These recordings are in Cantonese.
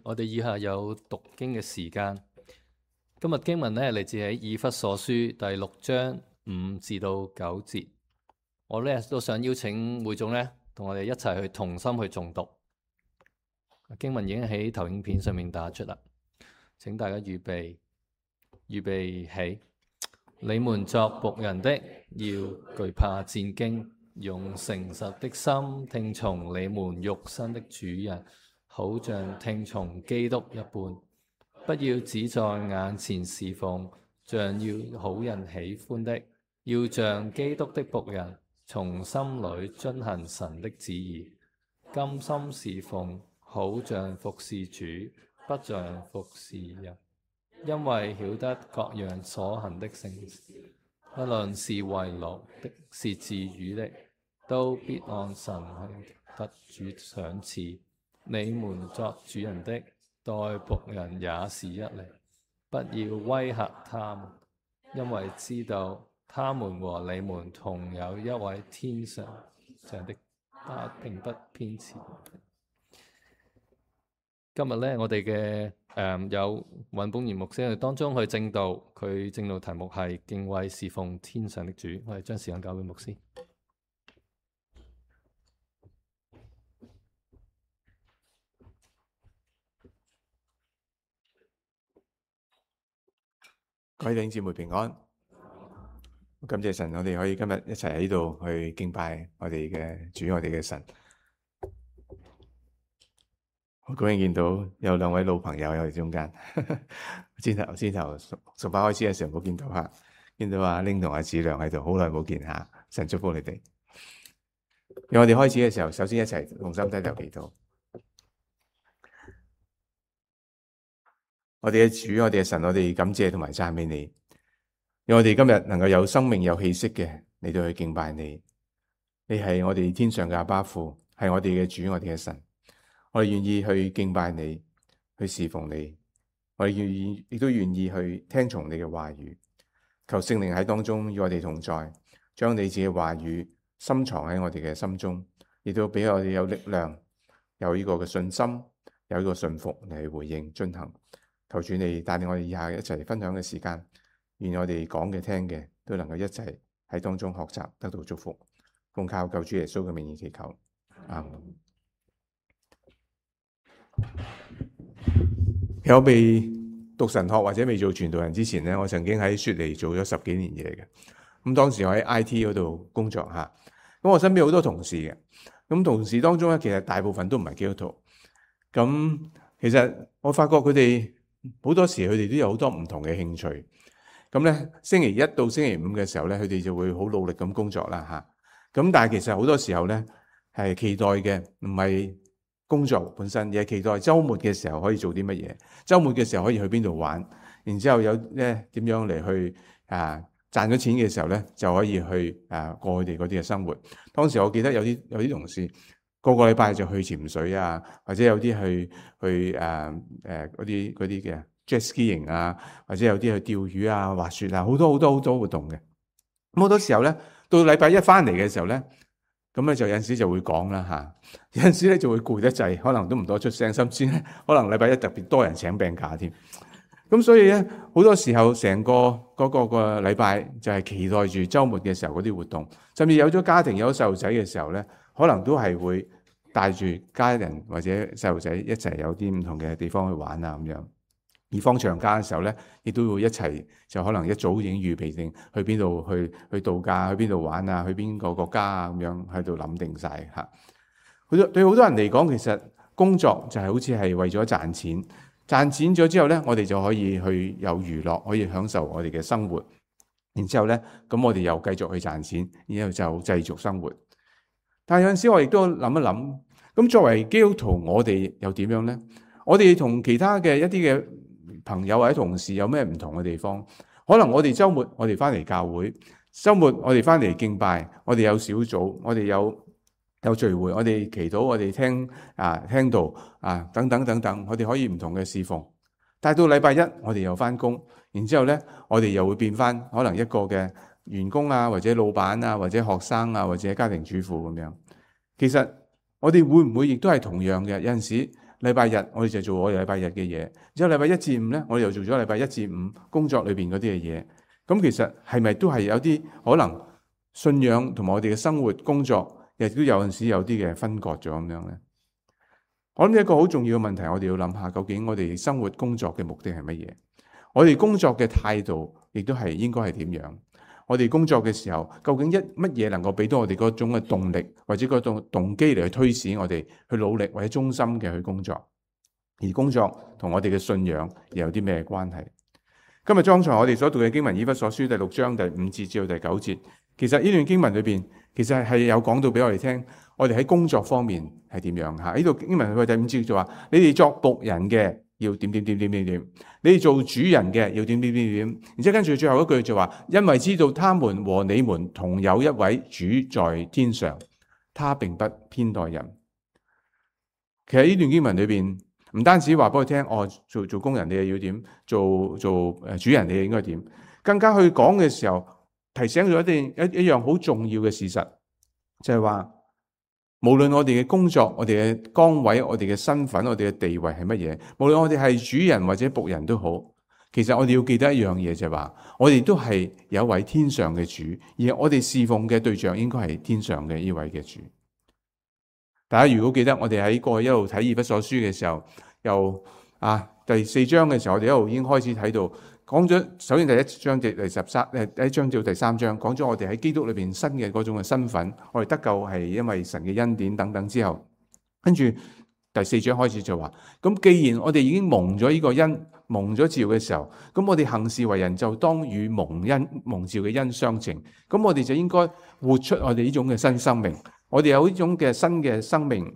我哋以下有讀經嘅時間。今日經文呢，嚟自喺以弗所書第6章5至到9節。我呢都想邀請會眾呢，同我哋一齊去同心去誦讀。經文已經喺投影片上面打出啦，請大家預備起。你們作僕人的，要懼怕戰兢，用誠實的心聽從你們肉身的主人，好像聽從基督一般。不要只在眼前侍奉，像要好人喜歡的，要像基督的僕人，從心裏遵行神的旨意，甘心侍奉，好像服侍主，不像服侍人。因為曉得各樣所行的聖事，不論是為勞的，是自語的，都必按神得主賞賜。你們作主人的，待僕人也是一理，不要威嚇他們，因為知道他們和你們同有一位天上的，他並不偏袒。今日呢，我哋嘅有尹本賢牧師喺當中去證道，佢證道題目係敬畏侍奉天上的主。我哋將時間交俾牧師。各位弟兄姊妹平安，感謝神，我哋可以今日一齊喺度去敬拜我哋嘅主，我哋嘅神。好高興見到有2位老朋友喺我哋中間。先頭崇拜開始嘅時候冇見到吓，見到阿玲同阿子良喺度，好耐冇見下。神祝福你哋。讓我哋開始嘅時候，首先一齊同心低頭祈禱。我哋嘅主，我哋嘅神，我哋感謝同埋讚美你，讓我哋今日能夠有生命有氣息嘅嚟到去敬拜你。你係我哋天上嘅阿爸父，係我哋嘅主，我哋嘅神。我哋願意去敬拜你，去侍奉你。我哋亦都願意去聽從你嘅話語。求聖靈喺當中與我哋同在，將你自己嘅話語深藏喺我哋嘅心中，亦都俾我哋有力量，有呢個嘅信心，有呢個信服嚟去回應遵行。求主你帶領我哋以下一齊分享嘅時間，願我哋講嘅聽嘅都能夠一齊喺當中學習，得到祝福。奉靠救主耶穌嘅名義祈求，阿們。我未讀神學或者未做傳道人之前呢，我曾經喺雪梨做咗10幾年嘢嘅。咁當時我喺 IT 嗰度工作吓，咁我身邊好多同事嘅。咁同事當中咧，其實大部分都唔係基督徒。咁其實我發覺佢哋好多時佢哋都有好多唔同嘅興趣。咁咧，星期一到星期五嘅時候咧，佢哋就會好努力咁工作啦吓。咁但係其實好多時候咧，係期待嘅唔係工作本身，而係期待週末嘅時候可以做啲乜嘢，週末嘅時候可以去邊度玩，然之後有咧點樣嚟去賺咗錢嘅時候咧，就可以去過佢哋嗰啲嘅生活。當時我記得有啲同事個禮拜就去潛水啊，或者有啲去嗰啲嘅 jet skiing 啊，或者有啲去釣魚啊、滑雪啊，好多活動嘅。咁好多時候咧，到禮拜一翻嚟嘅時候咧，咁咧就有陣時就會講啦吓，有陣時咧就會攰得滯，可能都唔多出聲，甚至咧可能禮拜一特別多人請病假添。咁所以咧，好多時候成個嗰個禮拜就係期待住週末嘅時候嗰啲活動，甚至有咗家庭有咗細路仔嘅時候咧，可能都係會帶住家人或者細路仔一齊有啲唔同嘅地方去玩啊咁樣。而放長假嘅時候咧，亦都會一齊就可能一早已經預備定去邊度去度假，去邊度玩啊，去邊個國家啊咁樣喺度諗定晒嚇。對好多人嚟講，其實工作就係好似係為咗賺錢。賺錢咗之後咧，我哋就可以去有娛樂，可以享受我哋嘅生活。然之後咧，咁我哋又繼續去賺錢，然後就繼續生活。但係有陣時我亦都諗一諗，咁作為基督徒，我哋又點樣咧？我哋同其他嘅一啲嘅朋友或者同事有咩唔同嘅地方？可能我哋週末我哋翻嚟教會，週末我哋翻嚟敬拜，我哋有小組，我哋有聚會，我哋祈禱，我哋聽道等等，我哋可以唔同嘅侍奉。但係到禮拜一，我哋又翻工，然之後咧，我哋又會變翻可能一個嘅員工啊，或者老闆啊，或者學生啊，或者家庭主婦咁樣。其實我哋會唔會亦都係同樣嘅？有陣時禮拜日我哋就做我哋禮拜日嘅嘢，之後禮拜一至五咧，我哋又做咗禮拜一至五工作裏邊嗰啲嘅嘢。咁其實係咪都係有啲可能信仰同埋我哋嘅生活工作，亦都有陣時有啲嘅分割咗咁樣咧？我諗一個好重要嘅問題，我哋要諗下，究竟我哋生活工作嘅目的係乜嘢？我哋工作嘅態度亦都係應該係點樣？我哋工作嘅時候，究竟乜嘢能夠俾到我哋嗰種嘅動力，或者嗰種動機嚟去推使我哋去努力或者忠心嘅去工作？而工作同我哋嘅信仰又有啲咩關係？今日剛才我哋所讀嘅經文，以弗所書第6章第5節至到第9節，其實呢段經文裏邊，其實係有講到俾我哋聽，我哋喺工作方面係點樣吓？呢度經文佢第5節就話：你哋作僕人嘅要點點點點點點，你哋做主人嘅要點點點點。然之後跟住最後一句就話：因為知道他們和你們同有一位主在天上，他並不偏待人。其實呢段經文裏邊，唔單止話俾我聽，做工人你哋要點，做主人你哋應該點，更加去講嘅時候，提醒咗一樣好重要嘅事實，就係話，無論我哋嘅工作、我哋嘅崗位、我哋嘅身份、我哋嘅地位係乜嘢，無論我哋係主人或者僕人都好，其實我哋要記得一樣嘢，就係話，我哋都係有一位天上嘅主，而我哋侍奉嘅對象應該係天上嘅呢位嘅主。大家如果記得我哋喺過去一路睇以弗所書嘅時候，由第4章嘅時候，我哋一路已經開始睇到，講咗首先第1章至第1章至第3章，講咗我哋喺基督裏邊新嘅嗰種嘅身份，我哋得救係因為神嘅恩典等等之後，跟住第4章開始就話，咁既然我哋已經蒙咗呢個恩，蒙咗召嘅時候，咁我哋行事為人就當與蒙召嘅恩相稱，咁我哋就應該活出我哋呢種嘅新生命。我哋有呢種嘅新嘅生命，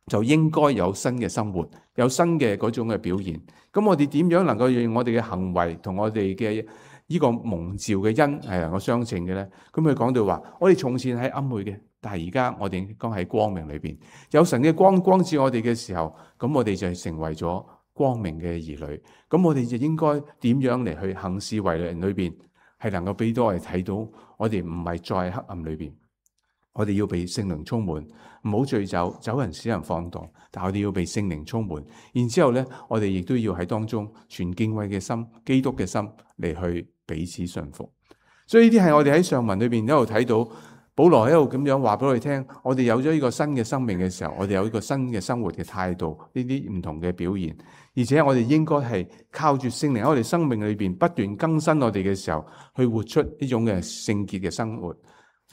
就應該有新嘅生活，有新嘅嗰種嘅表現。咁我哋點樣能夠用我哋嘅行為同我哋嘅呢個蒙召嘅恩係能夠相稱嘅咧？咁佢講到話，我哋從前係暗昧嘅，但係而家我哋應該喺光明裏邊，有神嘅光照我哋嘅時候，咁我哋就係成為咗光明嘅兒女。咁我哋就應該點樣嚟去行事為人裏邊，係能夠俾到我哋睇到，我哋唔係再喺黑暗裏邊。我哋要被聖靈充滿，唔好醉酒，酒人使人放蕩。但我哋要被聖靈充滿，然之後咧，我哋亦都要喺當中存敬畏嘅心、基督嘅心嚟去彼此順服。所以呢啲係我哋喺上文裏邊一路睇到，保羅一路咁樣話俾我哋聽，我哋有咗呢個新嘅生命嘅時候，我哋有呢個新嘅生活嘅態度，呢啲唔同嘅表現，而且我哋應該係靠住聖靈喺我哋生命裏邊不斷更新我哋嘅時候，去活出呢種嘅聖潔嘅生活。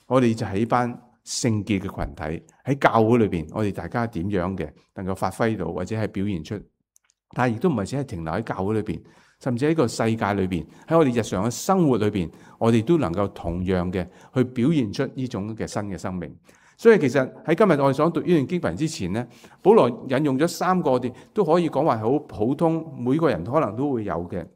我哋就係呢班聖潔嘅群體喺教會裏邊，我哋大家點樣嘅能夠發揮到或者係表現出，但係亦都唔係只係停留喺教會裏邊，甚至喺個世界裏邊，喺我哋日常嘅生活裏邊，我哋都能夠同樣嘅去表現出呢種嘅新嘅生命。所以其實喺今日我哋想讀呢段經文之前呢，保羅引用咗3個我哋都可以講話好普通，每個人可能都會有嘅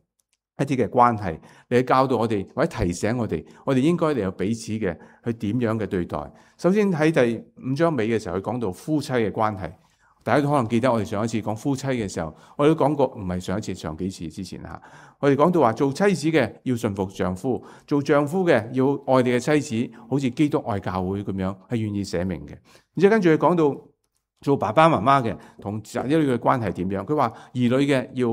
一啲嘅關係，嚟教導我哋或者提醒我哋應該嚟有彼此嘅去點樣嘅對待。首先喺第5章尾嘅時候，佢講到夫妻嘅關係。大家都可能記得我哋上一次講夫妻嘅時候，我哋都講過，唔係上一次，上幾次之前吓，我哋講到話做妻子嘅要順服丈夫，做丈夫嘅要愛你嘅妻子，好似基督愛教會咁樣，係願意捨命嘅。然之後跟住佢講到做爸爸媽媽嘅同仔女嘅關係點樣，佢話兒女嘅要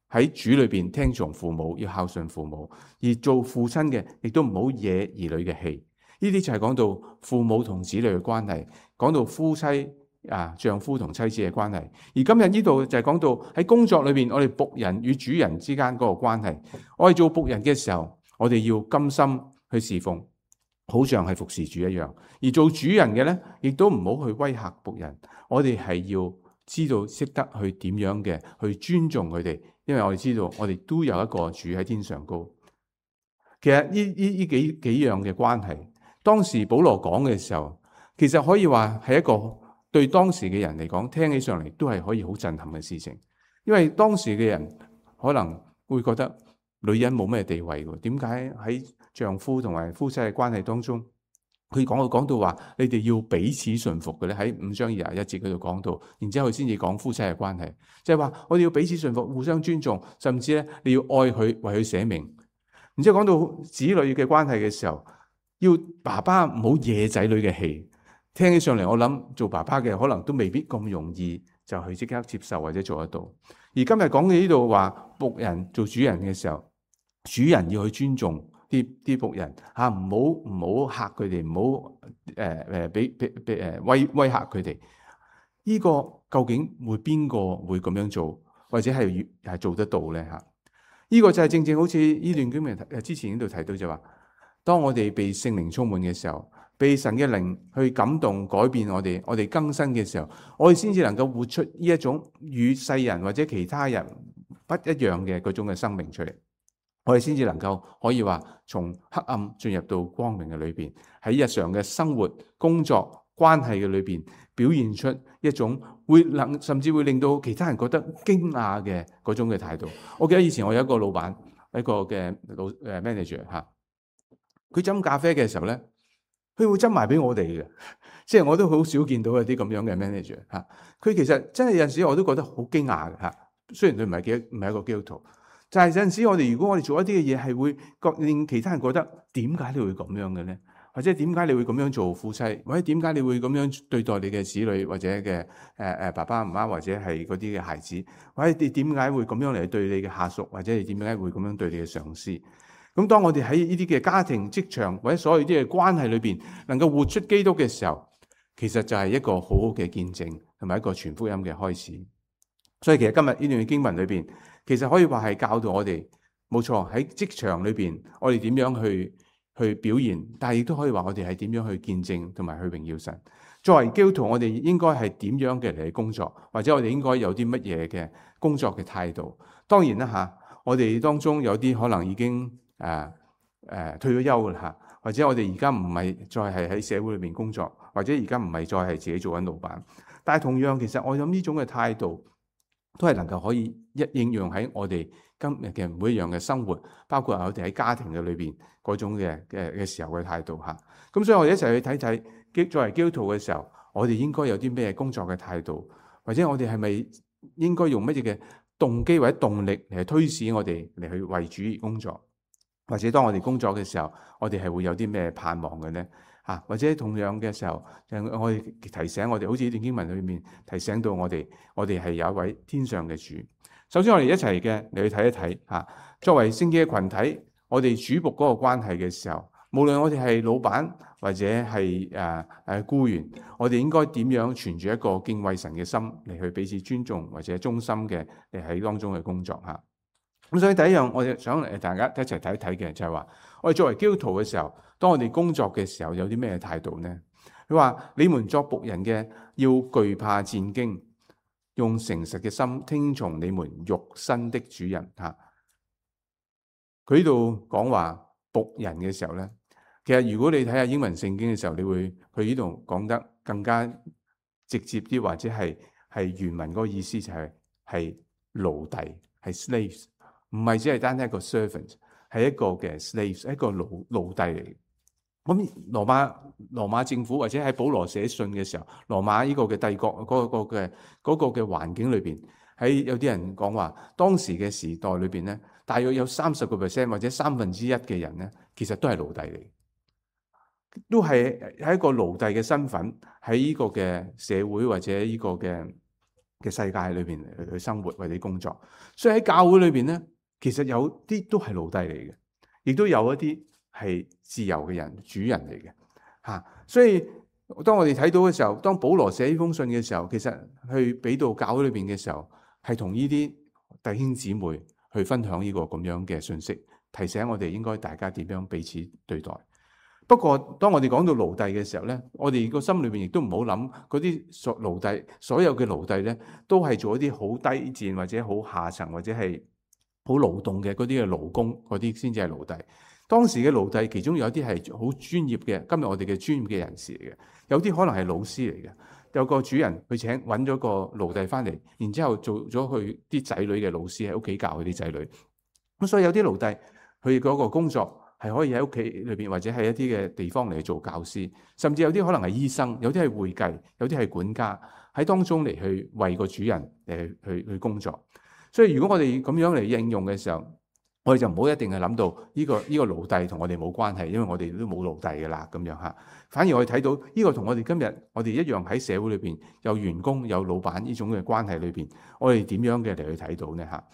喺主裏邊聽從父母，要孝順父母，而做父親嘅亦都唔好惹兒女嘅氣。呢啲就係講到父母同子女嘅關係，講到夫妻丈夫同妻子嘅關係。而今日呢度就係講到喺工作裏邊，我哋僕人與主人之間嗰個關係。我哋做僕人嘅時候，我哋要甘心去侍奉，好像係服侍主一樣。而做主人嘅咧，亦都唔好去威嚇僕人。我哋係要知道識得去點樣嘅去尊重佢哋。因為我哋知道，我哋都有一個主喺天上高。其實呢幾樣嘅關係，當時保羅講嘅時候，其實可以話係一個對當時嘅人嚟講，聽起上嚟都係可以好震撼嘅事情。因為當時嘅人可能會覺得女人冇咩地位嘅，點解喺丈夫同埋夫妻嘅關係當中，佢講到話，你哋要彼此順服嘅咧，喺5章21節嗰度講到，然之後佢先至講夫妻嘅關係，即係話我哋要彼此順服，互相尊重，甚至咧你要愛佢，為佢捨命。然之後講到子女嘅關係嘅時候，要爸爸唔好惹仔女嘅氣。聽起上嚟，我諗做爸爸嘅可能都未必咁容易就去即刻接受或者做得到。而今日講嘅呢度話僕人做主人嘅時候，主人要去尊重啲僕人嚇，唔好嚇佢哋，唔好威嚇佢哋。呢個究竟邊個會咁樣做，或者係做得到咧嚇？呢個就係正正好似呢段經文之前呢度提到就話，當我哋被聖靈充滿嘅時候，被神嘅靈去感動改變我哋更新嘅時候，我哋先至能夠活出呢一種與世人或者其他人不一樣嘅嗰種嘅生命出嚟。我哋先至能夠可以話從黑暗進入到光明嘅裏邊，喺日常嘅生活、工作、關係嘅裏邊表現出一種甚至會令到其他人覺得驚訝嘅嗰種嘅態度。我記得以前我有一個老闆，一個嘅manager 嚇，佢斟咖啡嘅時候咧，佢會斟埋俾我哋嘅，即係我都好少見到有啲咁樣嘅 manager 嚇。佢其實真係有陣時我都覺得好驚訝嘅嚇。雖然佢唔係一個基督徒，但係有陣時如果我哋做一啲嘅嘢係會令其他人覺得點解你會咁樣嘅咧？或者點解你會咁樣做夫妻？或者點解你會咁樣對待你嘅子女或者嘅爸爸媽媽或者係嗰啲嘅孩子？或者你點解會咁樣嚟對你嘅下屬？或者你點解會咁樣對你嘅上司？咁當我哋喺呢啲嘅家庭、職場或者所有啲嘅關係裏邊，能夠活出基督嘅時候，其實就係一個好好嘅見證，同埋一個傳福音嘅開始。所以其實今日呢段經文裏邊，其實可以話係教導我哋，冇錯喺職場裏邊，我哋點樣去表現，但係亦都可以話我哋係點樣去見證同埋去榮耀神。作為基督徒，我哋應該係點樣嘅嚟工作，或者我哋應該有啲乜嘢嘅工作嘅態度。當然啦嚇，我哋當中有啲可能已經退咗休啦嚇，或者我哋而家唔係再係喺社會裏面工作，或者而家唔係再係自己做緊老闆。但係同樣，其實我諗呢種嘅態度都係能夠可以應用喺我哋今日嘅每一樣嘅生活，包括我哋喺家庭嘅裏邊嗰種嘅時候嘅態度嚇。咁所以我哋一齊去睇睇，作為基督徒嘅時候，我哋應該有啲咩工作嘅態度，或者我哋係咪應該用乜嘢嘅動機或者動力嚟推使我哋嚟去為主而工作？或者當我哋工作嘅時候，我哋係會有啲咩盼望嘅呢？或者同樣嘅時候，我哋提醒我哋，好似呢段經文裏面提醒到我哋係有一位天上嘅主。首先我哋一齊嘅嚟去睇一睇作為聖潔嘅群體，我哋主僕嗰個關係嘅時候，無論我哋係老闆或者係僱員，我哋應該點樣存住一個敬畏神嘅心嚟去彼此尊重或者忠心嘅嚟喺當中嘅工作嚇。咁所以第一樣我哋想嚟大家一齊睇一睇嘅就係話，我哋作為基督徒嘅時候，當我哋工作嘅時候有啲咩態度呢？佢話：你們作僕人嘅要懼怕戰兢，用誠實嘅心聽從你們肉身的主人嚇。佢呢度講話僕人嘅時候咧，其實如果你睇下英文聖經嘅時候，你會佢呢度講得更加直接啲，或者係原文嗰個意思就係奴隸，係 slaves。唔係只係單一個 servant， 係一個嘅 slaves， 一個奴隸嚟嘅。咁羅馬政府或者喺保羅寫信嘅時候，羅馬呢個嘅帝國嗰個嘅環境裏邊，喺有啲人講話，當時嘅時代裏邊咧，大約有30% 或者1/3嘅人咧，其實都係奴隸嚟，都係一個奴隸嘅身份喺呢個嘅社會或者呢個嘅世界裏邊去生活或者工作。所以喺教會裏邊咧，其實有啲都係奴隸嚟嘅，亦都有一啲係自由嘅人、主人嚟嘅嚇。所以當我哋睇到嘅時候，當保羅寫呢封信嘅時候，其實去俾到教會裏邊嘅時候，係同呢啲弟兄姊妹去分享呢個咁樣嘅信息，提醒我哋應該大家點樣彼此對待。不過當我哋講到奴隸嘅時候咧，我哋個心裏邊亦都唔好諗嗰啲奴隸，所有嘅奴隸咧都係做一啲好低賤或者好下層或者係好勞動嘅嗰啲嘅勞工，嗰啲先至係奴隸。當時嘅奴隸其中有啲係好專業嘅，今日我哋嘅專業嘅人士嚟嘅，有啲可能係老師嚟嘅。有個主人去揾咗個奴隸翻嚟，然之後做咗佢啲仔女嘅老師，喺屋企教佢啲仔女。咁所以有啲奴隸佢嗰個工作係可以喺屋企裏邊或者係一啲嘅地方嚟做教師，甚至有啲可能係醫生，有啲係會計，有啲係管家，喺當中嚟去為個主人去工作。所以如果我哋咁樣嚟應用嘅時候，我哋就唔好一定係諗到呢個奴隸同我哋冇關係，因為我哋都冇奴隸㗎啦咁樣嚇。反而我哋睇到呢個同我哋今日我哋一樣喺社會裏邊有員工有老闆呢種嘅關係裏邊，我哋點樣嘅嚟去睇到呢嚇？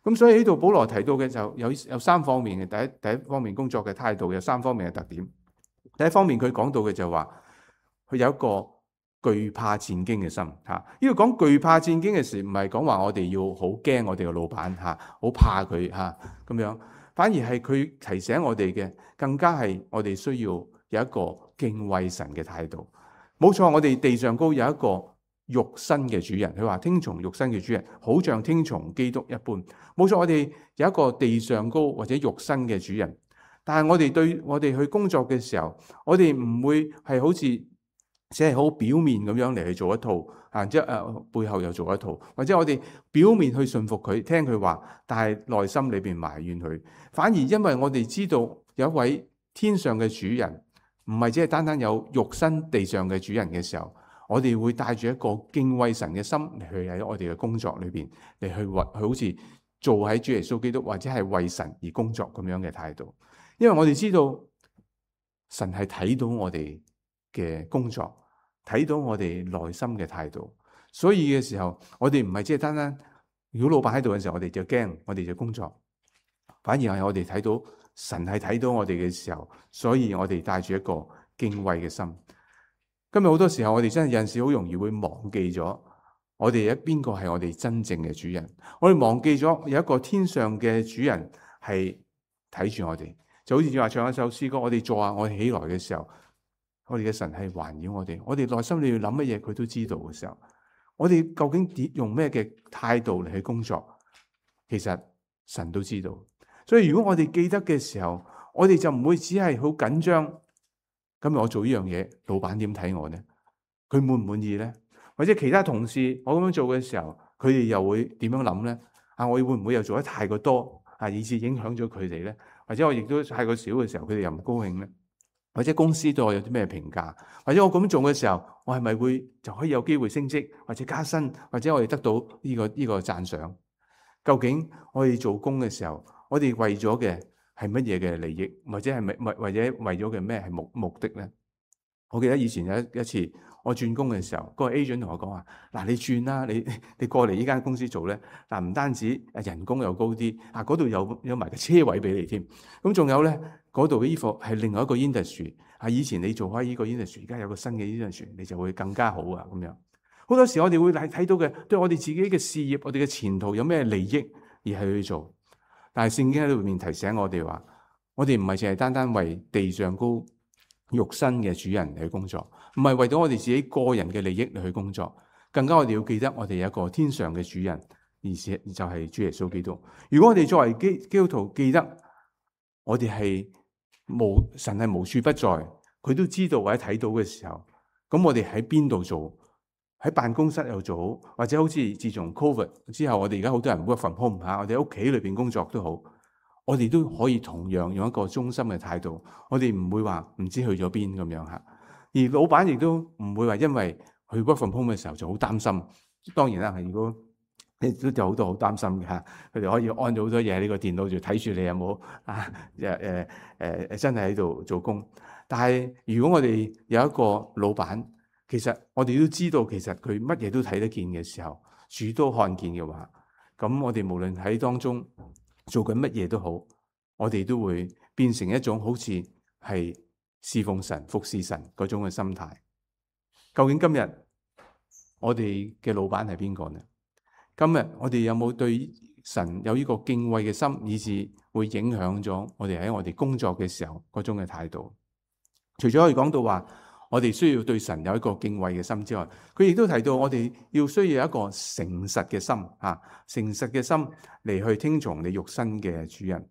咁所以呢度保羅提到嘅就有三方面嘅，第一方面工作嘅態度有三方面嘅特點。第一方面佢講到嘅就話佢有一個懼怕戰兢嘅心嚇。呢度講懼怕戰兢嘅時，唔係講話我哋要好驚我哋嘅老闆嚇，好怕佢嚇咁樣，反而係佢提醒我哋嘅，更加係我哋需要有一個敬畏神嘅態度。冇錯，我哋地上高有一個肉身嘅主人，佢話聽從肉身嘅主人，好像聽從基督一般。冇錯，我哋有一個地上高或者肉身嘅主人，但係我哋去工作嘅時候，我哋唔會係好似只係好表面咁樣嚟去做一套，即係背後又做一套，或者我哋表面去順服佢，聽佢話，但係內心裏邊埋怨佢。反而因為我哋知道有一位天上嘅主人，唔係只係單單有肉身地上嘅主人嘅時候，我哋會帶住一個敬畏神嘅心嚟去喺我哋嘅工作裏邊嚟去好似做喺主耶穌基督或者係為神而工作咁樣嘅態度。因為我哋知道神係睇到我哋嘅工作，睇到我哋內心嘅態度，所以嘅時候我哋唔係只係單單如果老闆喺度嘅時候我哋就驚，我哋就工作，反而係我哋睇到神係睇到我哋嘅時候，所以我哋帶住一個敬畏嘅心。今日好多時候我哋真係有陣時好容易會忘記咗我哋邊個係我哋真正嘅主人，我哋忘記咗有一個天上嘅主人係睇住我哋。就好似話唱一首詩歌，我哋坐下，我哋起來嘅時候，我哋嘅神係環繞我哋，我哋內心裏要諗乜嘢佢都知道嘅時候，我哋究竟用咩嘅態度嚟去工作，其實神都知道。所以如果我哋記得嘅時候，我哋就唔會只係好緊張，今日我做呢樣嘢，老闆點睇我呢？佢滿唔滿意呢？或者其他同事我咁樣做嘅時候，佢哋又會點樣諗呢？我會唔會又做得太過多以致影響咗佢哋呢？或者我亦都太過少嘅時候，佢哋又唔高興呢？或者公司對我有啲咩評價？或者我咁做嘅時候，我係咪會就可以有機會升職或者加薪，或者我哋得到呢個讚賞？究竟我哋做工嘅時候，我哋為咗嘅係乜嘢嘅利益，或者係或者為咗嘅咩係目的呢？我記得以前有一次我轉工嘅時候，嗰個 agent 同我講話：嗱，你轉啦，你過嚟呢間公司做咧，嗱，唔單止人工又高啲，嗰度有埋個車位俾你添。咁仲有咧，嗰度嘅衣服係另外一個 industry，以前你做開呢個 industry，而家有個新嘅 industry，你就會更加好啊咁樣。好多時我哋會睇到嘅，對我哋自己嘅事業、我哋嘅前途有咩利益而係去做。但係聖經喺裏面提醒我哋話，我哋唔係淨係單單為地上高肉身嘅主人嚟去工作，唔係為咗我哋自己個人嘅利益嚟去工作，更加我哋要記得我哋有一個天上嘅主人，而且就係主耶穌基督。如果我哋作為基督徒記得我哋係神係無處不在，佢都知道或者睇到嘅時候，咁我哋喺邊度做？喺辦公室又做好，或者好似自從 COVID 之後，我哋而家好多人 work from home 我哋喺屋企裏邊工作都好，我哋都可以同樣用一個忠心嘅態度，我哋唔會話唔知去咗邊咁樣吓。而老闆亦都唔會話因為去 work from home 嘅時候就好擔心。當然啦，係如果你都有好多好擔心嘅吓，佢哋可以安咗好多嘢喺呢個電腦，就睇住你有冇真係喺度做工。但係如果我哋有一個老闆，其實我哋都知道，其實佢乜嘢都睇得見嘅時候，主都看見嘅話，咁我哋無論喺當中做緊乜嘢都好，我哋都會變成一種好似係侍奉神、服侍神嗰種嘅心態。究竟今日我哋嘅老闆係邊個呢？今日我哋有冇對神有呢個敬畏嘅心，以致會影響咗我哋喺我哋工作嘅時候嗰種嘅態度？除咗可以講到話，我哋需要對神有一個敬畏嘅心之外，佢亦都提到我哋需要有一個誠實嘅心，誠實嘅心嚟去聽從你肉身嘅主人。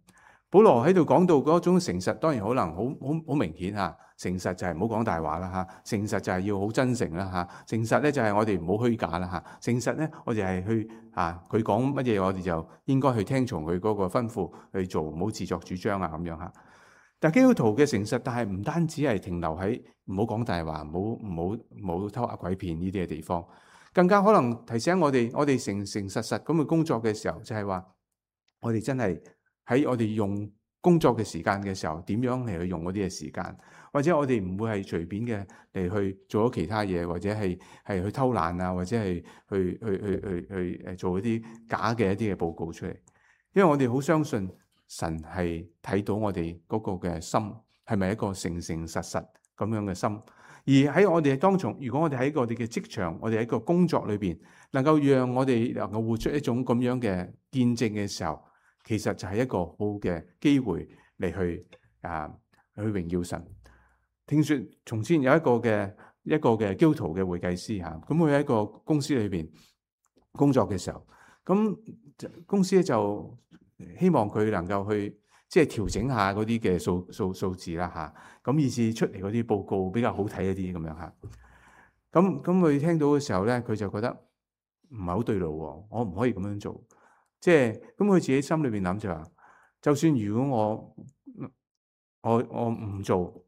保羅喺度講到嗰種誠實，當然可能好明顯吓。誠實就係唔好講大話啦吓，誠實就係要好真誠啦吓，誠實咧就係我哋唔好虛假啦吓，誠實咧我哋係去佢講乜嘢，我哋就應該去聽從佢嗰個吩咐去做，唔好自作主張咁樣吓。但基督徒嘅誠實，但係唔單止係停留喺唔好講大話，唔好偷呃鬼騙呢啲嘅地方，更加可能提醒我哋誠誠實實咁去工作嘅時候，就係話我哋真係喺我哋用工作嘅時間嘅時候，點樣嚟去用嗰啲嘅時間，或者我哋唔會係隨便嘅嚟去做咗其他嘢，或者係去偷懶啊，或者係去做一啲假嘅一啲嘅報告出嚟。因為我哋好相信神係睇到我哋嗰個嘅心係咪一個誠誠實實咁樣嘅心，而喺我哋當中，如果我哋喺我哋嘅職場，我哋喺個工作裏邊，能夠讓我哋能夠活出一種咁樣嘅見證嘅時候，其實就係一個好嘅機會嚟去榮耀神。聽說從前有一個嘅基督徒嘅會計師嚇，咁佢喺一個公司裏邊工作嘅時候，咁公司咧就希望佢能夠去即係調整下嗰啲嘅數字啦嚇，咁以至出嚟嗰啲報告比較好睇一啲咁樣嚇。咁佢聽到嘅時候咧，佢就覺得唔係好對路喎，我唔可以咁樣做。即係咁，佢自己心裏邊諗就話，就算如果我唔做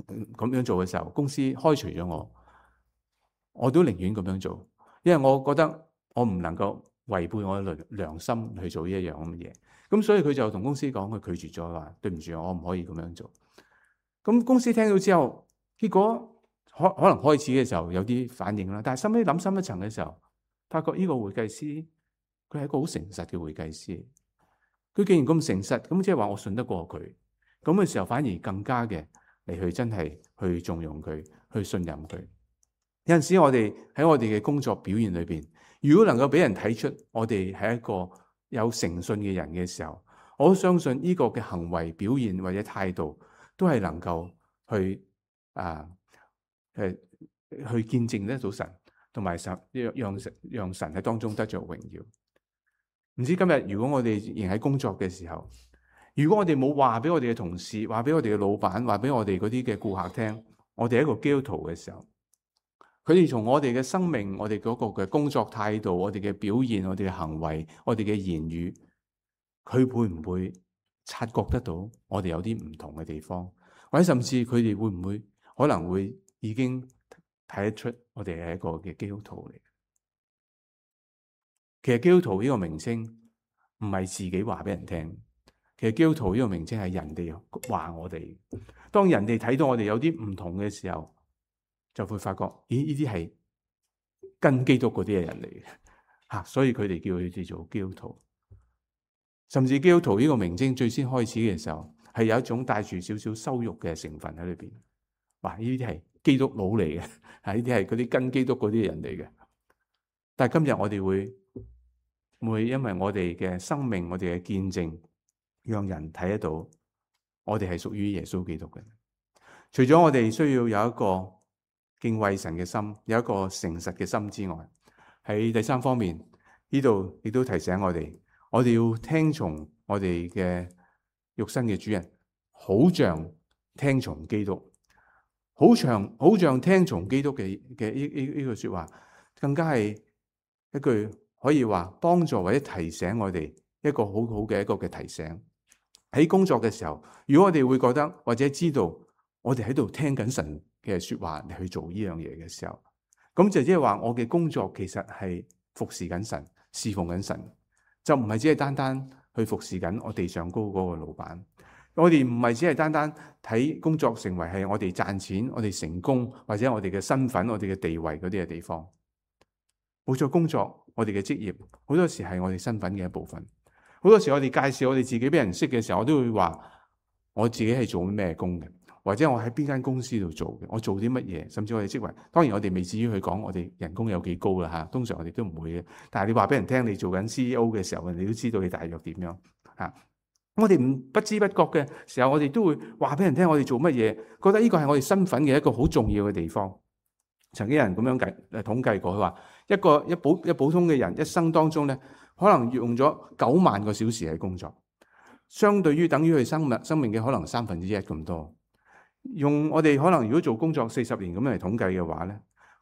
咁樣做嘅時候，公司開除咗我都寧願咁樣做，因為我覺得我唔能夠違背我嘅良心去做呢一樣咁嘅嘢。咁所以佢就同公司講，佢拒絕咗，話對唔住，我唔可以咁樣做。咁公司聽到之後，結果可能開始嘅時候有啲反應啦，但係收尾諗深一層嘅時候，發覺呢個會計師佢係一個好誠實嘅會計師。佢既然咁誠實，咁即係話我信得過佢。咁嘅時候反而更加嘅嚟去真係去縱容佢，去信任佢。有陣時我哋喺我哋嘅工作表現裏邊，如果能夠俾人睇出我哋係一個有誠信嘅人嘅時候，我都相信呢個嘅行為表現或者態度都係能夠去去見證得到神，同埋讓神喺當中得着榮耀。唔知今日如果我哋仍喺工作嘅時候，如果我哋冇話俾我哋嘅同事，話俾我哋嘅老闆，話俾我哋嗰啲嘅顧客聽，我哋係一個基督徒嘅時候，佢哋從我哋嘅生命、我哋嗰個嘅工作態度、我哋嘅表現、我哋嘅行為、我哋嘅言語，佢會唔會察覺得到我哋有啲唔同嘅地方，或者甚至佢哋會唔會可能會已經睇得出我哋係一個嘅基督徒嚟？其實基督徒呢個名稱唔係自己話俾人聽，其實基督徒呢個名稱係人哋話我哋。當人哋睇到我哋有啲唔同嘅時候，就會發覺，咦？呢啲係跟基督嗰啲嘅人嚟嘅嚇，所以佢哋叫佢哋做基督徒。甚至基督徒呢個名稱最先開始嘅時候，係有一種帶住少少羞辱嘅成分喺裏邊。哇！呢啲係基督佬嚟嘅，呢啲係嗰啲跟基督嗰啲人嚟嘅。但係今日我哋會因為我哋嘅生命、我哋嘅見證，讓人睇得到我哋係屬於耶穌基督嘅。除咗我哋需要有一個敬畏神嘅心，有一個誠實嘅心之外，喺第三方面，呢度亦都提醒我哋要聽從我哋嘅肉身嘅主人，好像聽從基督，好像聽從基督嘅呢句說話，更加係一句可以話幫助或者提醒我哋一個好好嘅一個嘅提醒。喺工作嘅時候，如果我哋會覺得或者知道我哋喺度聽緊神嘅說話嚟去做呢樣嘢嘅時候，咁就即係話我嘅工作其實係服侍緊神，侍奉緊神，就唔係只係單單去服侍緊我地上高嗰個老闆。我哋唔係只係單單睇工作成為係我哋賺錢、我哋成功或者我哋嘅身份、我哋嘅地位嗰啲嘅地方。冇錯，工作我哋嘅職業好多時係我哋身份嘅一部分。好多時我哋介紹我哋自己俾人識嘅時候，我都會話我自己係做咩工嘅，或者我喺邊間公司度做嘅，我做啲乜嘢，甚至我哋職位。當然我哋未至於去講我哋人工有幾高啦嚇，通常我哋都唔會嘅。但係你話俾人聽你做緊 CEO 嘅時候，你都知道你大約點樣嚇。我哋不知不覺嘅時候，我哋都會話俾人聽我哋做乜嘢，覺得呢個係我哋身份嘅一個好重要嘅地方。曾經有人咁樣統計過，佢話一普通嘅人一生當中咧，可能用咗9萬個小時喺工作，相對於等於佢生命嘅可能1/3咁多。用我哋可能如果做工作40年咁樣嚟統計嘅話咧，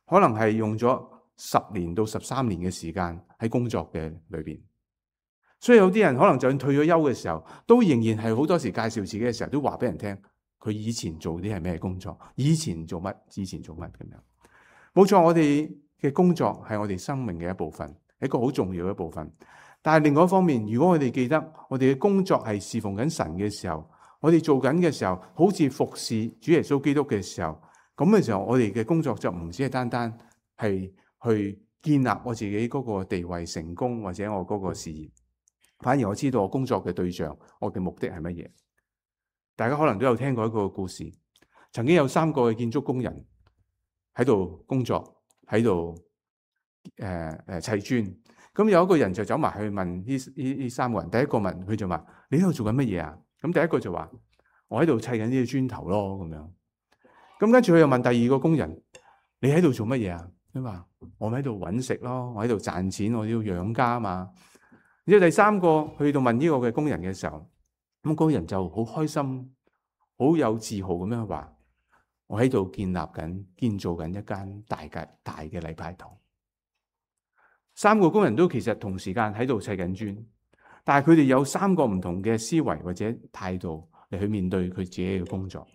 可能係用咗10年到13年嘅時間喺工作嘅裏邊。所以有啲人可能就算退咗休嘅時候，都仍然係好多時介紹自己嘅時候，都話俾人聽佢以前做啲係咩工作，以前做乜咁樣。冇錯，我哋嘅工作係我哋生命嘅一部分，係一個好重要嘅一部分。但係另外一方面，如果我哋記得我哋嘅工作係侍奉緊神嘅時候，我哋做緊嘅時候，好似服侍主耶穌基督嘅時候，咁嘅時候，我哋嘅工作就唔只係單單係去建立我自己嗰個地位成功，或者我嗰個事業，反而我知道我工作嘅對象，我嘅目的係乜嘢。大家可能都有聽過一個故事，曾經有3個嘅建築工人喺度工作，喺度砌磚。咁有一個人就走埋去問呢3個人，第一個問佢就話：你喺度做緊乜嘢啊？咁第一個就話：我喺度砌緊呢啲磚頭咯，咁樣。咁跟住佢又問第二個工人：你喺度做乜嘢啊？佢話：我喺度揾食咯，我喺度賺錢，我要養家啊嘛。然之後第3個去到問呢個嘅工人嘅時候，咁嗰個人就好開心、好有自豪咁樣話：我喺度建造緊一間大嘅禮拜堂。3個工人都其實同時間喺度砌緊磚，但係佢哋有3個唔同嘅思維或者態度嚟去面對佢自己嘅工作。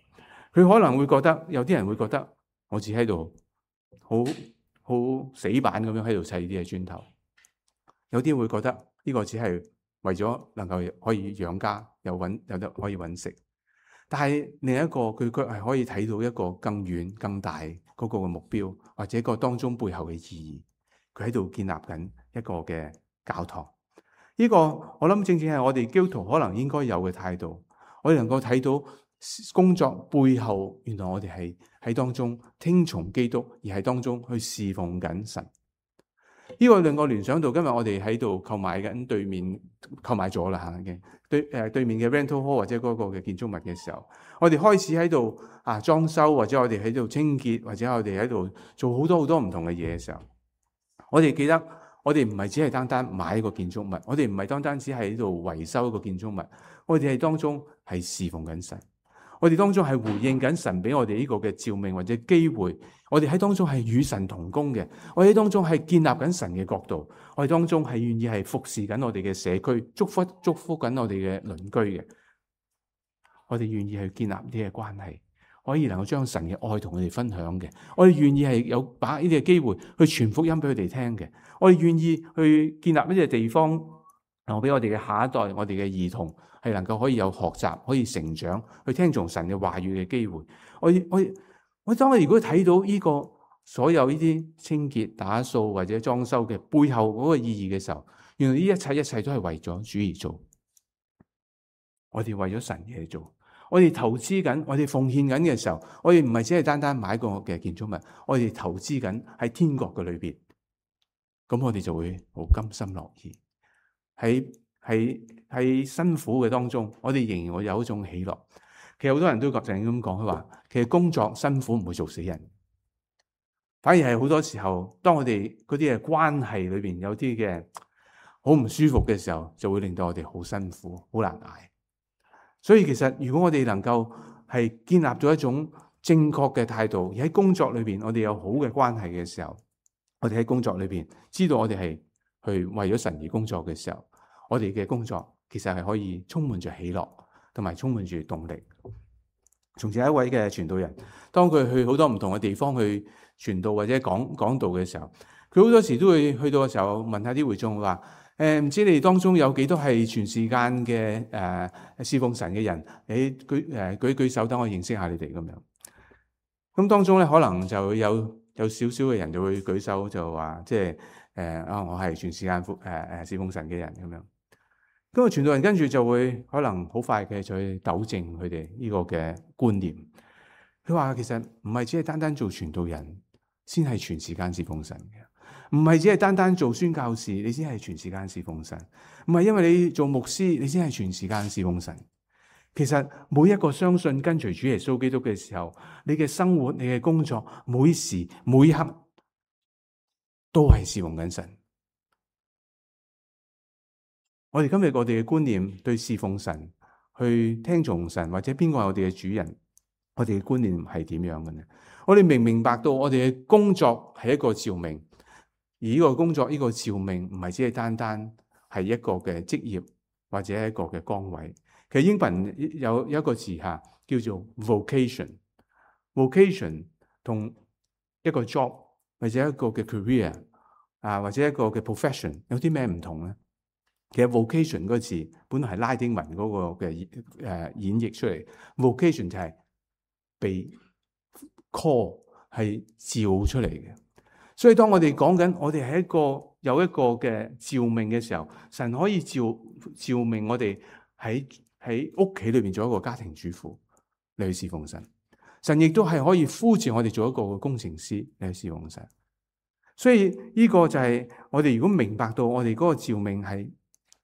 佢可能會覺得，有啲人會覺得我只喺度好死板咁樣喺度砌啲嘅磚頭，有啲會覺得呢個只係為咗能夠可以養家，有得可以揾食。但係另一個佢卻係可以睇到一個更遠更大嗰個嘅目標，或者個當中背後嘅意義。佢喺度建立緊一個嘅教堂。呢個我諗正正係我哋基督徒可能應該有嘅態度。我哋能夠睇到工作背後，原來我哋係喺當中聽從基督，而喺當中去侍奉緊神。呢個令我聯想到今日我哋喺度購買緊購買咗啦嘅對面嘅 rental hall 或者嗰個嘅建築物嘅時候，我哋開始喺度裝修，或者我哋喺度清潔，或者我哋喺度做好多唔同嘅嘢嘅時候，我哋記得我哋唔係只係單單買一個建築物，我哋唔係單單只係喺度維修一個建築物，我哋係當中係侍奉緊神。我哋當中係回應緊神俾我哋呢個嘅召命或者機會，我哋喺當中係與神同工嘅，我哋喺當中係建立緊神嘅國度，我哋當中係願意係服侍緊我哋嘅社區，祝福緊我哋嘅鄰居嘅，我哋願意去建立呢啲嘅關係，可以能夠將神嘅愛同佢哋分享嘅，我哋願意係有把呢啲嘅機會去傳福音俾佢哋聽嘅，我哋願意去建立呢啲地方，留俾我哋嘅下一代，我哋嘅兒童。係能夠可以有學習，可以成長，去聽從神嘅話語嘅機會。我當我如果睇到呢個所有呢啲清潔、打掃或者裝修嘅背後嗰個意義嘅時候，原來呢一切都係為咗主而做。我哋為咗神而做，我哋投資緊，我哋奉獻緊嘅時候，我哋唔係只係單單買個嘅建築物，我哋投資緊喺天國嘅裏邊。咁我哋就會好甘心樂意喺辛苦嘅當中，我哋仍然會有一種喜樂。其實好多人都咁講，佢話其實工作辛苦唔會做死人，反而係好多時候，當我哋嗰啲嘅關係裏邊有啲嘅好唔舒服嘅時候，就會令到我哋好辛苦、好難捱。所以其實如果我哋能夠係建立咗一種正確嘅態度，而喺工作裏邊我哋有好嘅關係嘅時候，我哋喺工作裏邊知道我哋係去為咗神而工作嘅時候，我哋嘅工作其實係可以充滿着喜樂，同埋充滿住動力。從前一位嘅傳道人，當佢去好多唔同嘅地方去傳道或者講道嘅時候，佢好多時都會去到嘅時候問下啲會眾話：唔知你哋當中有幾多係全時間嘅侍奉神嘅人？你舉手，等我認識下你哋咁樣。咁當中咧，可能就有少少嘅人就會舉手，就話即係我係全時間侍奉神嘅人咁樣。咁個傳道人跟住就會可能好快嘅就去糾正佢哋呢個嘅觀念。佢話其實唔係只係單單做傳道人先係全時間侍奉神嘅，唔係只係單單做宣教士你先係全時間侍奉神，唔係因為你做牧師你先係全時間侍奉神。其實每一個相信跟隨主耶穌基督嘅時候，你嘅生活、你嘅工作，每時每刻都係侍奉緊神。我哋今日我哋嘅觀念對侍奉神、去聽從神或者邊個係我哋嘅主人，我哋嘅觀念係點樣嘅呢？我哋明白到我哋嘅工作係一個召命，而呢個工作呢個召命唔係只係單單係一個嘅職業或者一個嘅崗位。其實英文有一個字叫做 vocation 同一個 job 或者一個嘅 career 或者一個嘅 profession 有啲咩唔同呢？其實 vocation 嗰個字本來係拉丁文嗰個嘅演繹出嚟 ，vocation 就係被 call 係召出嚟嘅。所以當我哋講緊我哋係有一個嘅召命嘅時候，神可以召命我哋喺屋企裏邊做一個家庭主婦嚟去侍奉神。神亦都係可以呼召我哋做一個工程師嚟去侍奉神。所以呢個就係我哋如果明白到我哋嗰個召命係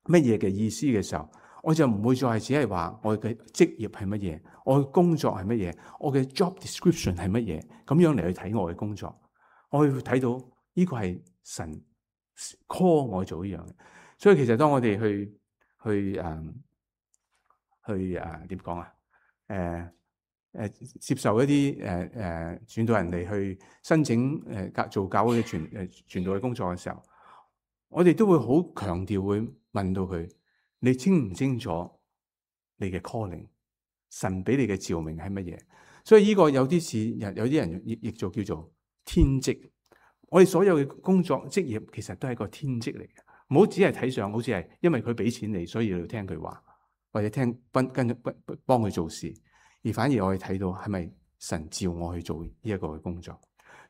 乜嘢嘅意思嘅時候，我就唔會再只係話我嘅職業係乜嘢，我嘅工作係乜嘢，我嘅 job description 係乜嘢，咁樣嚟去睇我嘅工作。我會睇到呢個係神 call 我做呢樣嘅。所以其實當我哋去點講啊？接受一啲傳道人嚟去申請做教會嘅傳道嘅工作嘅時候，我哋都會好強調會問到佢：你清唔清楚你嘅 calling？ 神俾你嘅召命係乜嘢？所以呢個有啲似有啲人譯做叫做天職。我哋所有嘅工作職業其實都係個天職嚟嘅，唔好只係睇上好似係因為佢俾錢你，所以你要聽佢話，或者跟幫佢做事。而反而我哋睇到係咪神召我去做呢一個嘅工作？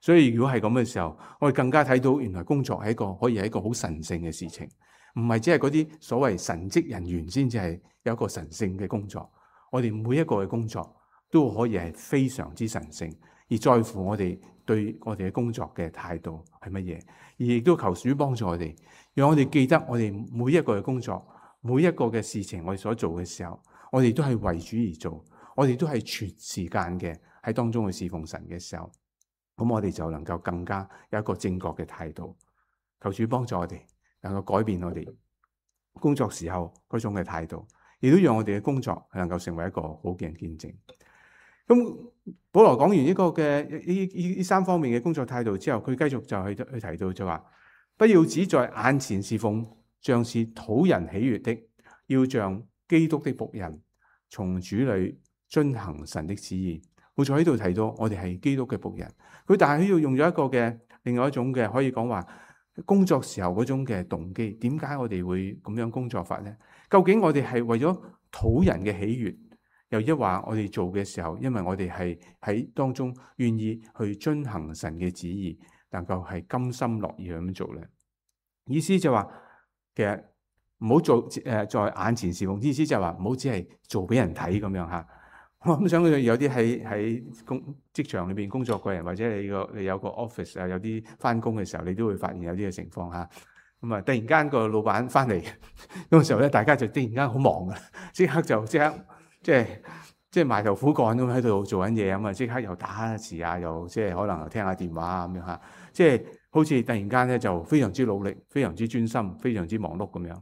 所以如果係咁嘅時候，我哋更加睇到原來工作係可以係一個好神聖嘅事情，唔係只係嗰啲所謂神職人員先至係有一個神聖嘅工作。我哋每一個嘅工作都可以係非常之神聖，而在乎我哋對我哋嘅工作嘅態度係乜嘢，而亦都求主幫助我哋，讓我哋記得我哋每一個嘅工作，每一個嘅事情我哋所做嘅時候，我哋都係為主而做。我哋都係全時間嘅喺當中去侍奉神嘅時候，咁我哋就能夠更加有一個正確嘅態度。求主幫助我哋，能夠改變我哋工作時候嗰種嘅態度，亦都讓我哋嘅工作能夠成為一個好嘅見證。咁保羅講完呢個嘅呢三方面嘅工作態度之後，佢繼續就去提到就話：不要只在眼前侍奉，像是討人喜悅的，要像基督的僕人，從主裏遵行神的旨意。好在喺度提到我哋係基督嘅僕人，佢但係喺度用咗一個嘅另外一種嘅可以講話工作時候嗰種嘅動機。點解我哋會咁樣工作法呢？究竟我哋係為咗討人嘅喜悅，又一話我哋做嘅時候，因為我哋係喺當中願意去遵行神嘅旨意，能夠係甘心樂意咁樣做呢？意思就話其實唔好做在眼前侍奉，意思就係話唔好只係做俾人睇咁樣嚇。我咁想有啲喺職場裏邊工作嘅人，或者你有個 office 啊，有啲翻工嘅時候，你都會發現有啲嘅情況嚇。咁啊，突然間個老闆翻嚟嗰個時候咧，大家就突然間好忙噶，即刻即係埋頭苦幹咁喺度做緊嘢咁啊，即刻又打下字啊，又即係可能又聽下電話啊咁樣嚇，即係好似突然間咧就非常之努力、非常之專心、非常之忙碌咁樣。呢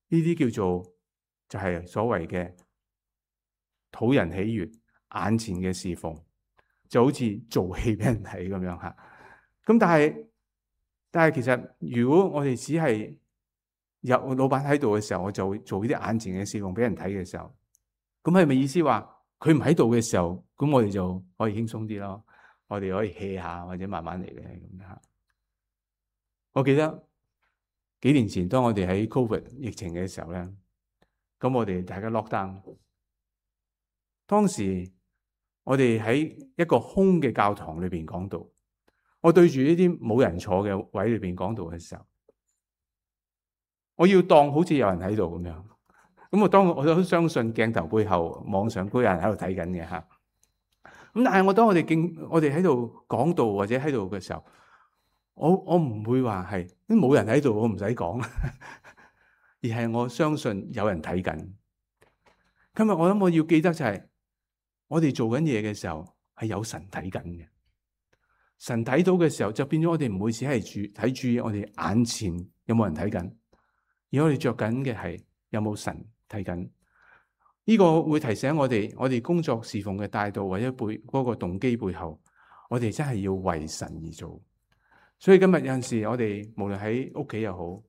啲叫做就係所謂嘅討人喜悅、眼前嘅侍奉，就好似做戲俾人睇咁樣嚇。咁但係其實如果我哋只係有老闆喺度嘅時候，我就會做呢啲眼前嘅侍奉俾人睇嘅時候，咁係咪意思話佢唔喺度嘅時候，咁我哋就可以輕鬆啲咯？我哋可以 hea 下或者慢慢嚟嘅咁樣。我記得幾年前當我哋喺 Covid 疫情嘅時候咧，咁我哋大家 lock down。當時我哋喺一個空嘅教堂裏邊講道，我對住呢啲冇人坐嘅位裏邊講道嘅時候，我要當好似有人喺度咁樣。咁我都相信鏡頭背後網上都有人喺度睇緊嘅嚇。咁但係當我哋喺度講道或者喺度嘅時候，我唔會話係冇人喺度，我唔使講，而係我相信有人睇緊。今日我諗我要記得就係，我哋做緊嘢嘅時候係有神睇緊嘅。神睇到嘅時候，就變咗我哋唔會只係睇住我哋眼前有冇人睇緊，而我哋着緊嘅係有冇神睇緊。呢個會提醒我哋工作侍奉嘅態度或者嗰個動機背後，我哋真係要為神而做。所以今日有陣時，我哋無論喺屋企又好，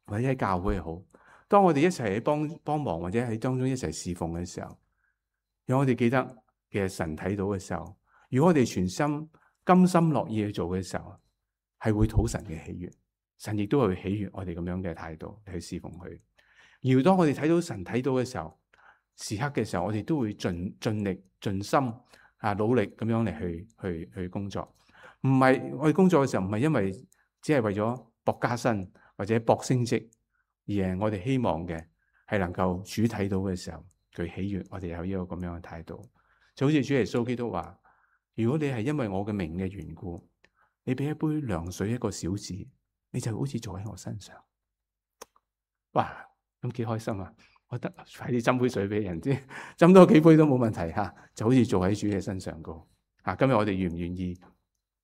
或者喺教會又好，當我哋一齊喺幫忙或者喺當中一齊侍奉嘅時候，讓我哋記得其實神睇到嘅時候，如果我哋全心甘心樂意去做嘅時候，係會討神嘅喜悅。神亦都會喜悅我哋咁樣嘅態度嚟去侍奉佢。而當我哋睇到神睇到嘅時候，時刻嘅時候，我哋都會盡力盡心努力咁樣嚟去工作。唔係我哋工作嘅時候，唔係因為只係為咗博加薪或者博升職，而係我哋希望嘅係能夠主睇到嘅時候，佢喜悅我哋有呢個咁樣嘅態度。就好似主耶穌基督話：如果你係因為我嘅名嘅緣故，你俾一杯涼水一個小子，你就好似做喺我身上。哇！咁幾開心啊！我得快啲斟杯水俾人知，斟多幾杯都冇問題吓，就好似做喺主嘅身上個。今日我哋願唔願意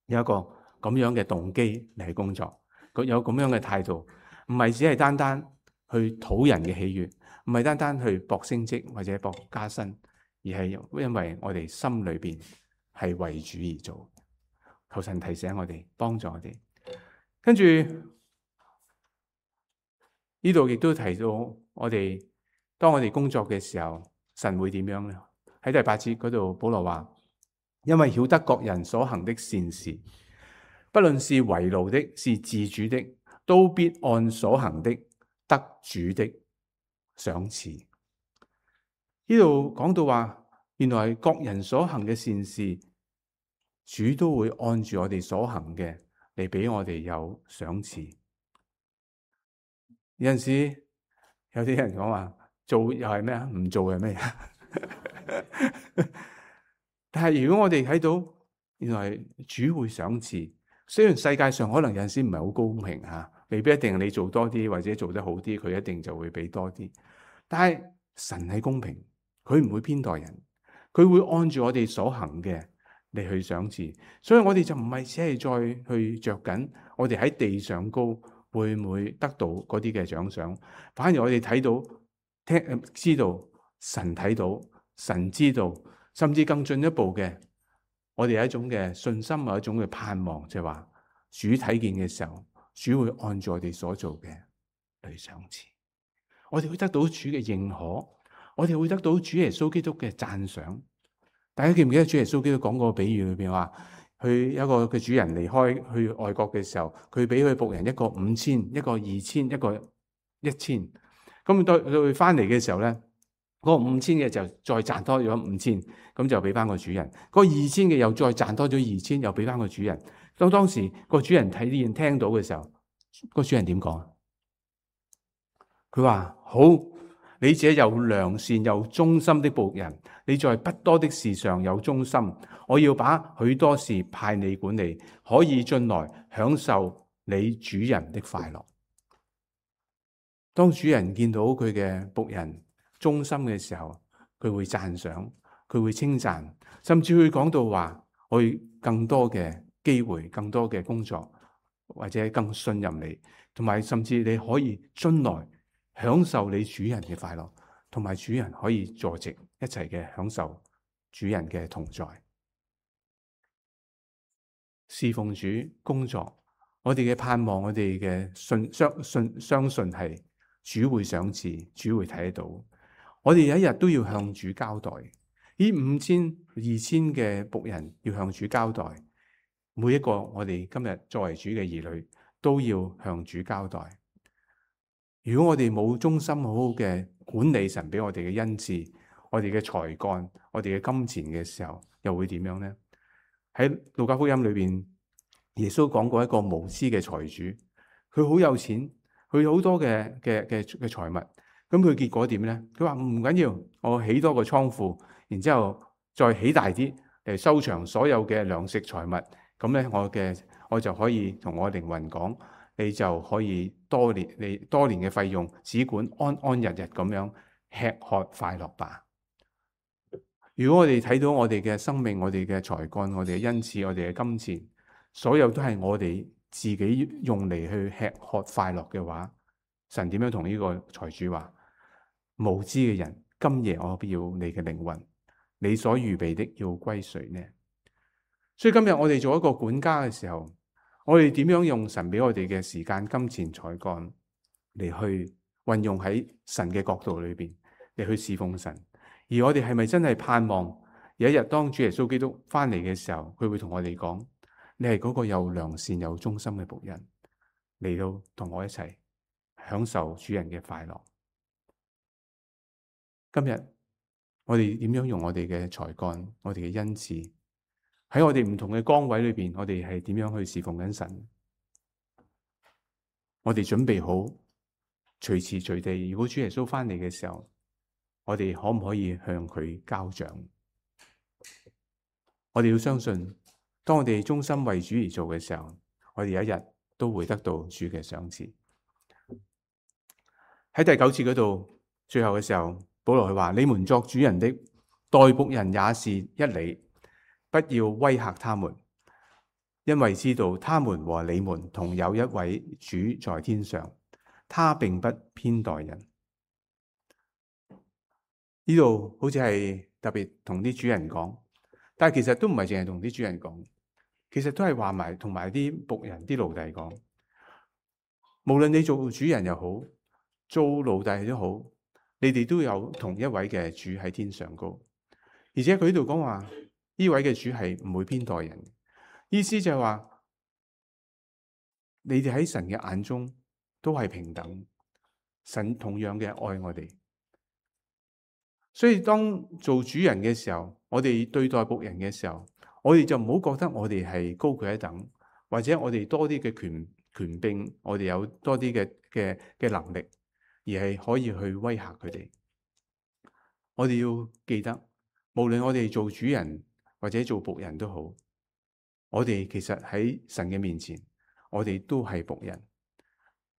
有一個咁樣嘅動機嚟工作，有咁樣嘅態度，唔係只係單單去討人嘅喜悅，唔係單單去博升職或者博加薪，而係因為我哋心裏邊係為主而做。求神提醒我哋，幫助我哋。跟住呢度亦都提到我哋，當我哋工作嘅時候，神會點樣呢？喺第8節嗰度，保羅話：因為曉得各人所行的善事，不論是為奴的，是自主的，都必按所行的得主的賞賜。呢度講到話，原來各人所行嘅善事，主都會按住我哋所行嘅嚟俾我哋有賞賜。有陣時有啲人講話做又係咩啊？唔做係咩啊？但係如果我哋睇到原來主會賞賜，雖然世界上可能有陣時唔係好公平吓，未必一定你做多啲或者做得好啲，佢一定就會俾多啲。但係神係公平，佢唔會偏待人，佢會按住我哋所行嘅嚟去賞賜。所以我哋就唔係只係再去着緊我哋喺地上高會唔會得到嗰啲嘅獎賞，反而我哋睇到、知道神睇到、神知道，甚至更進一步嘅，我哋有一種嘅信心，有一種嘅盼望，就係話主睇見嘅時候，主會按住我哋所做嘅嚟賞賜。我哋會得到主嘅認可，我哋會得到主耶穌基督嘅讚賞。大家記唔記得主耶穌基督講過個比喻裏邊話？佢有一個嘅主人離開去外國嘅時候，佢俾佢僕人一個5000，一個2000，一個1000。咁到佢翻嚟嘅時候咧，嗰個5000嘅就再賺多咗5000，咁就俾翻個主人。嗰個2000嘅又再賺多咗2000，又俾翻個主人。當時個主人睇見聽到嘅時候，個主人點講？佢話：好，你這又良善又忠心的僕人，你在不多的事上有忠心，我要把許多事派你管理，可以進來享受你主人的快樂。當主人見到佢嘅僕人忠心嘅時候，佢會讚賞，佢會稱讚，甚至會講到話，我會更多嘅機會，更多嘅工作，或者更信任你，同埋甚至你可以進來享受你主人嘅快樂，同埋主人可以坐席一齊嘅享受主人嘅同在。侍奉主工作，我哋嘅盼望，我哋嘅相信係主會賞賜，主會睇得到。我哋有一日都要向主交代。呢5000、2000嘅僕人要向主交代，每一個我哋今日作為主嘅兒女都要向主交代。如果我哋冇忠心好好嘅管理神俾我哋嘅恩賜，我哋嘅才幹，我哋嘅金錢嘅時候，又會點樣呢？喺路加福音裏邊，耶穌講過一個無知嘅財主，佢好有錢，佢有好多嘅財物，咁佢結果點呢？佢話唔緊要，我起多個倉庫，然之後再起大啲嚟收藏所有嘅糧食財物，咁咧我就可以同我靈魂講，你就可以多年嘅費用，只管安安日日咁樣吃喝快樂吧。如果我哋睇到我哋嘅生命、我哋嘅才幹、我哋嘅恩賜、我哋嘅金錢，所有都係我哋自己用嚟去吃喝快樂嘅話，神點樣同呢個財主話？無知嘅人，今夜我必要你嘅靈魂，你所預備的要歸誰呢？所以今日我哋做一個管家嘅時候，我哋點樣用神俾我哋嘅時間、金錢、才幹嚟去運用喺神嘅角度裏邊嚟去侍奉神？而我哋係咪真係盼望有一日當主耶穌基督翻嚟嘅時候，佢會同我哋講：你係嗰個又良善又忠心嘅僕人，嚟到同我一齊享受主人嘅快樂。今日我哋點樣用我哋嘅才幹、我哋嘅恩賜，喺我哋唔同嘅崗位裏邊，我哋係點樣去侍奉緊神？我哋準備好隨時隨地，如果主耶穌翻嚟嘅時候，我哋可唔可以向佢交賬？我哋要相信，當我哋忠心為主而做嘅時候，我哋有一日都會得到主嘅賞賜。喺第9節嗰度，最後嘅時候，保羅佢話：你們作主人的，待僕人也是一理，不要威嚇他們，因為知道他們和你們同有一位主在天上，他並不偏待人。呢度好似係特別同啲主人講，但係其實都唔係淨係同啲主人講，其實都係話埋同埋啲僕人、啲奴隸講。無論你做主人又好，做奴隸都好，你哋都有同一位嘅主喺天上高。而且佢呢度講話，呢位嘅主係唔會偏待人，意思就係話，你哋喺神嘅眼中都係平等，神同樣嘅愛我哋。所以當做主人嘅時候，我哋對待僕人嘅時候，我哋就唔好覺得我哋係高佢一等，或者我哋多啲嘅權柄，我哋有多啲嘅能力，而係可以去威嚇佢哋。我哋要記得，無論我哋做主人或者做僕人都好，我哋其實喺神嘅面前，我哋都係僕人，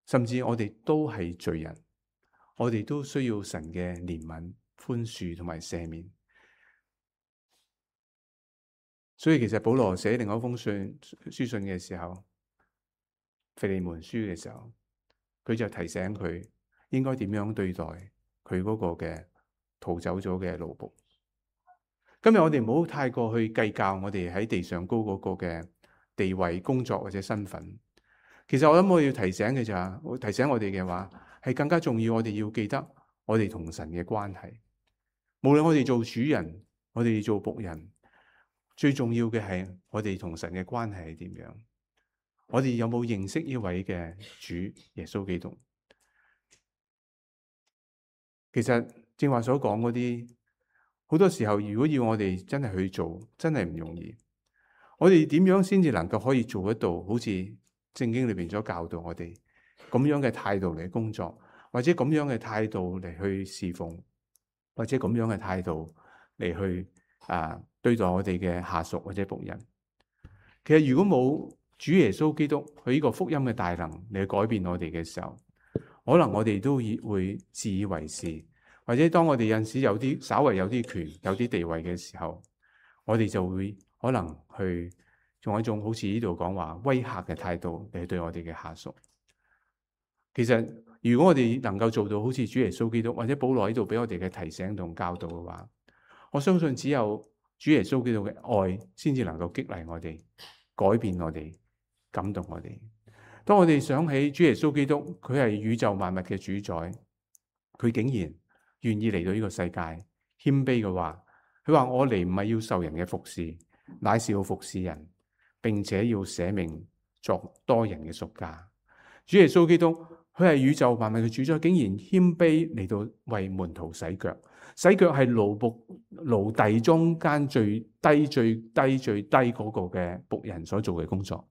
甚至我哋都係罪人，我哋都需要神嘅憐憫、寬恕同埋赦免。所以其實保羅寫另外一封書信嘅時候，腓利門書嘅時候，佢就提醒佢應該點樣對待佢嗰個嘅逃走咗嘅奴僕。今日我哋唔好太過去計較我哋喺地上高嗰個嘅地位、工作或者身份。其實我諗我要提醒嘅就係，提醒我哋嘅話係更加重要。我哋要記得我哋同神嘅關係。無論我哋做主人，我哋做僕人，最重要嘅係我哋同神嘅關係係點樣？我哋有冇認識呢位嘅主耶穌基督？其實正話所講嗰啲，好多時候如果要我哋真係去做，真係唔容易。我哋點樣先至能夠可以做得到？好似聖經裏邊所教導我哋咁樣嘅態度嚟工作，或者咁樣嘅態度嚟去侍奉，或者咁樣嘅態度嚟去對待我哋嘅下屬或者僕人。其實如果冇主耶穌基督佢呢個福音嘅大能嚟改變我哋嘅時候，可能我哋都會自以為是，或者當我哋有陣時稍為有啲權、有啲地位嘅時候，我哋就會可能去用一種好似呢度講話威嚇嘅態度嚟對我哋嘅下屬。其實如果我哋能夠做到好似主耶穌基督或者保羅呢度俾我哋嘅提醒同教導嘅話，我相信只有主耶穌基督嘅愛先至能夠激勵我哋、改變我哋、感動我哋。當我哋想起主耶穌基督，佢係宇宙萬物嘅主宰，佢竟然願意嚟到呢個世界謙卑嘅話，佢話我嚟唔係要受人嘅服侍，乃是要服侍人，並且要捨命作多人嘅贖價。主耶穌基督佢係宇宙萬物嘅主宰，竟然謙卑嚟到為門徒洗腳。洗腳係奴隸中間最低嗰個嘅僕人所做嘅工作，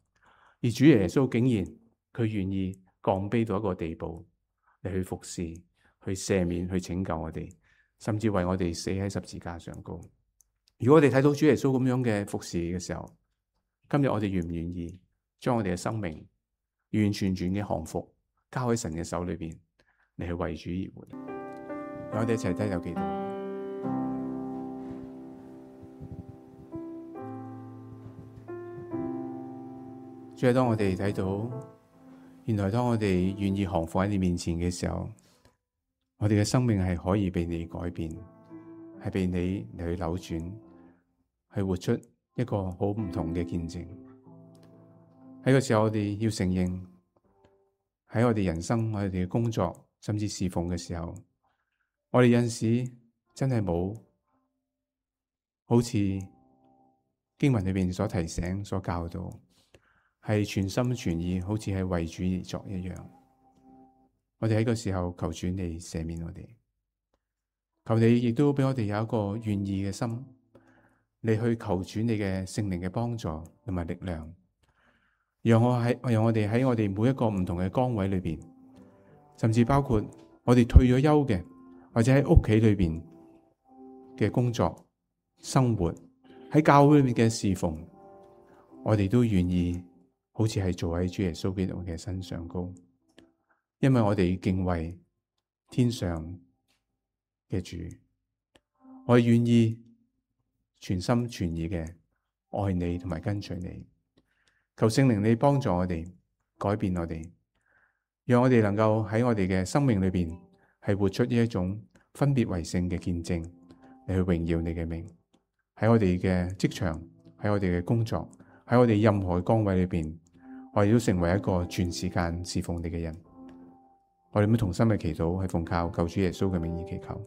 而主耶穌竟然佢願意降卑到一個地步嚟去服侍、去赦免、去拯救我哋，甚至為我哋死喺十字架上高。如果我哋睇到主耶穌咁樣嘅服侍嘅時候，今日我哋願唔願意將我哋嘅生命完完全全嘅降服交喺神嘅手裏邊嚟去為主而活？讓我哋一齊低頭祈禱。主啊，當我哋睇到，原來當我哋願意降服喺你面前嘅時候，我哋嘅生命係可以被你改變，係被你嚟去扭轉，係活出一個好唔同嘅見證。喺個時候，我哋要承認，喺我哋人生、我哋嘅工作，甚至侍奉嘅時候，我哋有陣時真係冇好似經文裏邊所提醒、所教導，係全心全意，好似係為主而作一樣。我哋喺個時候求主你赦免我哋，求你亦都俾我哋有一個願意嘅心，你去求主你嘅聖靈嘅幫助同埋力量，讓我哋喺我哋每一個唔同嘅崗位裏邊，甚至包括我哋退咗休嘅，或者喺屋企裏邊嘅工作、生活，喺教會裏面嘅侍奉，我哋都願意好似係做喺主耶穌基督嘅身上高，因為我哋敬畏天上嘅主，我哋願意全心全意嘅愛你同埋跟隨你。求聖靈你幫助我哋，改變我哋，讓我哋能夠喺我哋嘅生命裏邊係活出呢一種分別為聖嘅見證，嚟去榮耀你嘅名。喺我哋嘅職場，喺我哋嘅工作，喺我哋任何崗位裏邊，我哋都成為一個全時間侍奉你嘅人。我哋咁同心嘅祈禱係奉靠救主耶穌嘅名義祈求。